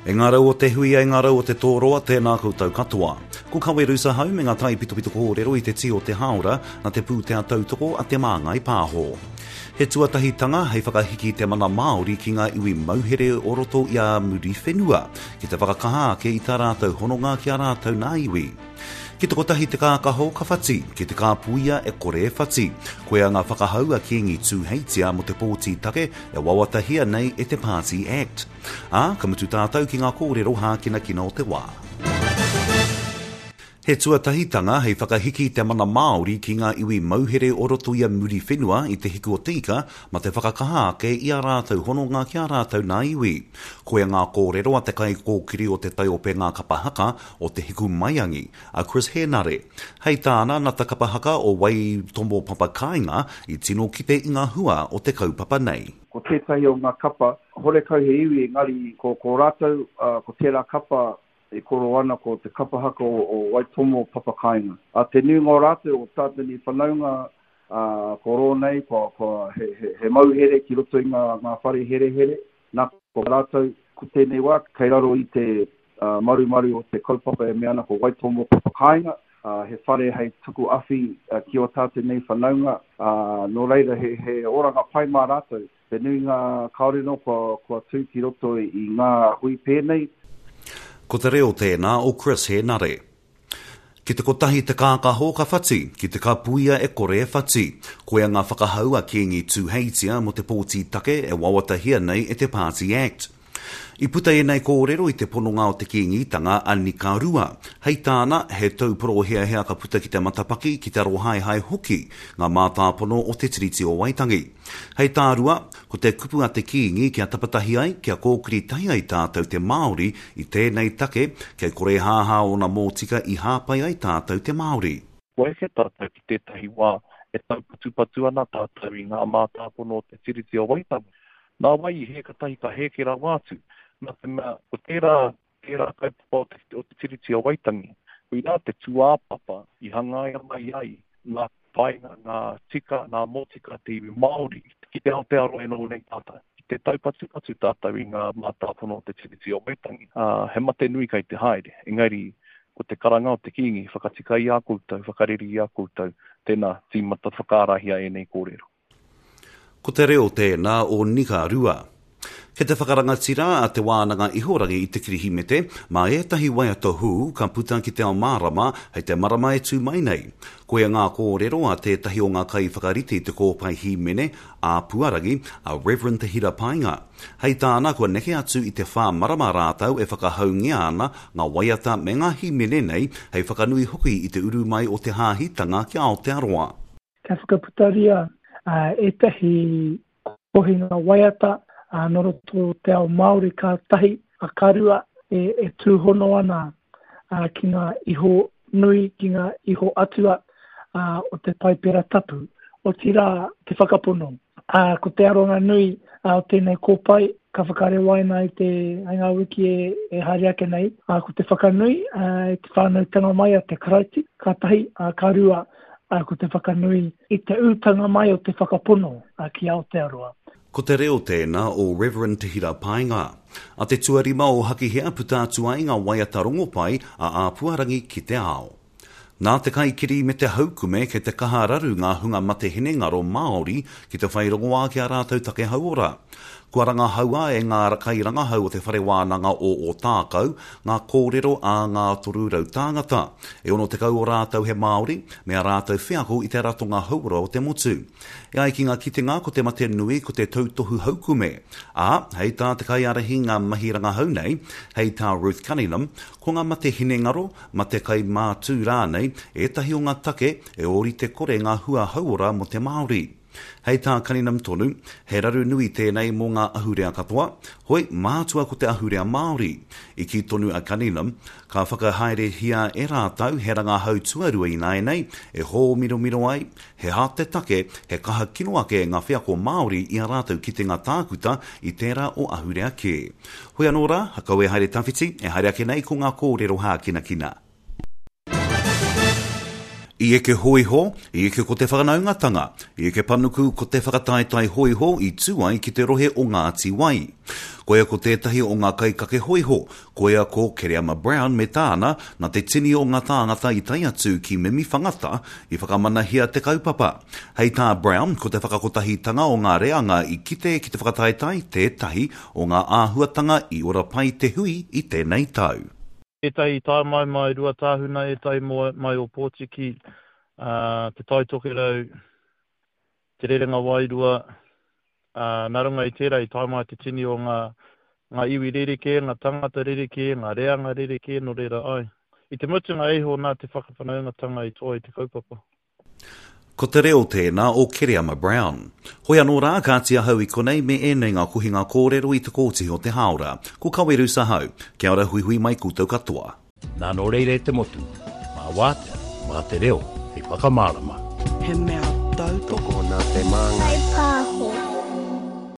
E ngā rau o te huia, e ngā rau o te tōroa, tēnā koutou katoa. Ko Kawe Rusa hau me ngā taipitopito kōrero i te tī o te hāora nā te pūtea tautoko a Te Māngai Pāho. He tuatahitanga hei whakahiki te mana Māori ki ngā iwi mauhere o roto i a Muriwhenua, ki te whakakaha ake i tā rātou hononga ki a rātou nā iwi. Ki te kotahi te kākaho ka whati, ki te kāpuia e kore e whati. Koia ngā whakahau a Kīngi Tūheitia mō te pōti take e wawatahia nei e te Pāti Act. Ā, ka mutu tātou ki ngā kōrero hākinakina o te wā. He tuatahitanga hei whakahiki i te mana Māori ki ngā iwi mauhere o roto i a Muriwhenua i Te Hiku o Te Ika ma te whakakaha ake i ā rātou hononga ki ā rātou nā iwi. Koia ngā kōrero a te kaikōkiri o te taiopenga kapa haka o Te Hiku Maiangi, a Chris Henare. Hei tāna, na te kapa haka o Waitomo Papakāinga i tino kite i ngā hua o te kaupapa nei. Ko tētahi o ngā kapa, horekau he iwi engari ko ko rātou, ko tērā kapa e koro ana ko te kapa haka o Waitomo Papakāinga. A te nuinga o rātou o tātou nei whanaunga, ā, ko rō nei, kua, kua, he, he, he mauhere ki roto i ngā, ngā whare herehere, nā, ko rātou, ko tēnei wā, kei raro i te marumaru o te kaupapa e mea ana ko Waitomo Papakāinga, ā, he whare hei tuku awhi ki ō tātou nei whanaunga, ā, nō reira he, he oranga pai mā rātou. Te nuinga kāore nō kua, kua tū ki roto i ngā hui pēnei. Ko te reo tēnā o Chris Henare. Ki te kotahi te kākaho ka whati, ki te kapuia e kore e whati. Koia ngā whakahau a Kīngi Tūheitia mō te pōti take e wawatahia nei e te Pāti Act. I puta ēnei kōrero i te pononga o te Kīngitanga a Nika Rua. Hei tāna, he tau poroheahea ka puta ki te matapaki, ki te arohaehae hoki ngā mātāpono o Te Tiriti o Waitangi. Hei tā Rua, ko te kupu a te Kīngi kia tapatahi ai, kia kōkiri tahi ai tātou te Māori i tēnei take, kei kore hāhā ōna mōtika i hāpai ai tātou te Māori. Kua eke tātou ki tētahi wā e taupatupatu ana tātou i ngā mātāpono o Te Tiriti o Waitangi. Nā wai i hē katahi ka hēke rawa atu, nā te mea ko tērā, tērā kaupapa o te, o te Tiriti o Waitangi, koirā te tūāpapa i hangaia mai ai ngā painga, ngā tika, ngā motika te iwi Māori ki te Aotearoa e noho nei tātou. Ki te taupatupatu tātou i ngā mātāpono o te Tiriti o Waitangi, ā, he mate nui kei te haere, engari ko te karanga o te Kīngi, whakatika i a koutou, whakareri i a koutou, tēnā, tīmata whakaarahia ēnei kōrero. Ko te reo tēnā o Nika Rua. Kei te whakarangatira a Te Wānanga Ihorangi i te Kirihimete mā ētahi waiata hou ka puta ki te ao mārama hei te marama e tū mai nei. Koia ngā kōrero a tētahi o ngā kaiwhakarite i te kōpae hīmene a Puarangi, a Reverend Te Hira Paenga. Hei tāna kua neke atu i te whā marama rātou e whakahaungia ana ngā waiata me ngā hīmene nei hei whakanui hoki i te uru mai o te hāhitanga ki Aotearoa. Kia whakaputaria ētahi kohinga waiata nō roto o te ao Māori ka tahi, ka rua e tūhono ana ki ngā iho nui, ki ngā iho atua o te Paipera Tapu, otirā te whakapono. Ā, ko te aronga nui o tēnei kōpae ka whakarewaina i te, i ngā wiki e, e haere ake nei, ā, ko te whakanui i te whānautanga mai a te Karaiti, ka tahi, ā, ka rua, ā, ko te whakanui i te ūtanga mai o te whakapono ki Aotearoa. Ko te reo tēnā o Reverend Te Hira Paenga. A te tuarima o Hakihea puta atu ai ngā waiata rongopai a Āpuarangi ki te ao. Nā te kaikiri me te haukume kei te kaha raru ngā hunga mate hinengaro Māori ki te whai rongoā ki ā rātou take hauora. Kua rangahaua e ngā kairangahau o Te Whare Wānanga o Ōtākou ngā kōrero a ngā 300 tāngata. E 60 o rātou he Māori, me ā rātou wheako i te ratonga hauora o te motu. E ai ki ngā kitenga ko te mate nui ko te tautohu haukume. Ā, hei tā te kaiārahi ngā mahi rangahau nei, hei tā Ruth Cunningham, ko ngā mate hinengaro, mate kai mātū rānei, ētahi o ngā take e ōrite kore ngā hua hauora mō te Māori. Hei tā Cunningham tonu, he raru nui tēnei mō ngā ahurea katoa, hoi, mātua ko te ahurea Māori. I kī tonu a Cunningham, ka whakahaerehia e rātou he rangahau tuarua ināianei e hōmiromiro ai, he aha te take he kaha kino ake ngā wheako Māori i ā rātou kitenga tākuta i tērā o ahurea kē. Hoi anō rā, kau e haere tawhiti, e haere ake nei ko ngā kōrero hākinakina. I eke hōiho, i eke ko te whanaungatanga, i eke panuku ko te whakataetae hōiho i tū ai ki te rohe o Ngāti Wai. Koia ko tētahi o ngā kaikake hōiho, koia ko Kereama Brown me tāna, nā te tini o ngā tāngata i tae atu ki Mimiwhangata i whakamanahia te kaupapa. Hei tā Brown, ko te whakakotahitanga o ngā reanga i kite ki te whakataetae tētahi o ngā āhuatanga i ora pai te hui i tēnei tau. Ētahi i tae mai mai Ruatāhuna, ētahi mai Ōpōtiki, Te Tai Tokerau, Te Rerenga Wairua, ā, nā runga i tērā i tae mai te tini o ngā, ngā iwi rerekē, ngā tangata rerekē, ngā reanga rerekē, nō reira, āe. I te mutunga iho nā te whakawhanaungatanga i toa i te kaupapa. Ko te reo tēnā o Kereama Brown. Hoi anō rā, kāti ahau i konei me ēnei ngā kohinga kōrero i te kōtihi o te hāora. Ko Kaweru ahau. Kia ora huihui mai koutou katoa. Nā nō reira e te motu, mā Wātea, mā te reo hei whakamārama. He mea tautoko. Tokona te māngai.